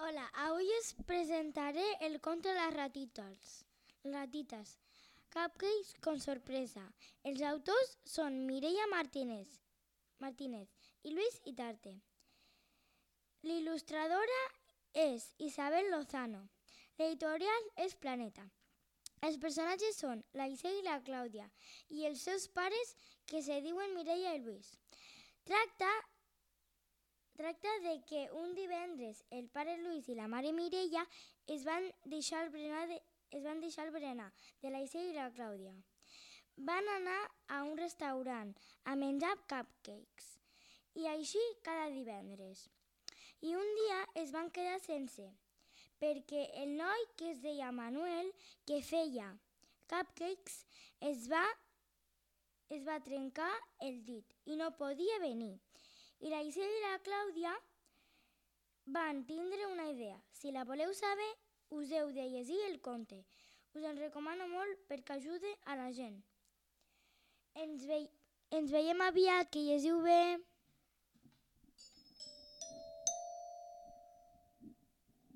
Hola, avui us presentaré el conte Les ratites. Cupcakes con sorpresa. Els autors són Mireia Martínez i Luis Itarte. L'il·lustradora és Isabel Lozano. L'editorial és Planeta. Els personatges són la Isel i la Clàudia i els seus pares que se diuen Mireia i Luis. Tracta de que un divendres el pare Luis i la mare Mireia es van deixar el berenar de la Isel i la Clàudia. Van anar a un restaurant a menjar cupcakes i així cada divendres. I un dia es van quedar sense, perquè el noi que es deia Manuel, que feia cupcakes, es va trencar el dit i no podia venir. I la Isel i la Clàudia van tindre una idea. Si la voleu saber, us heu de llegir el conte. Us el recomano molt perquè ajuda a la gent. Ens veiem aviat, que llegiu bé.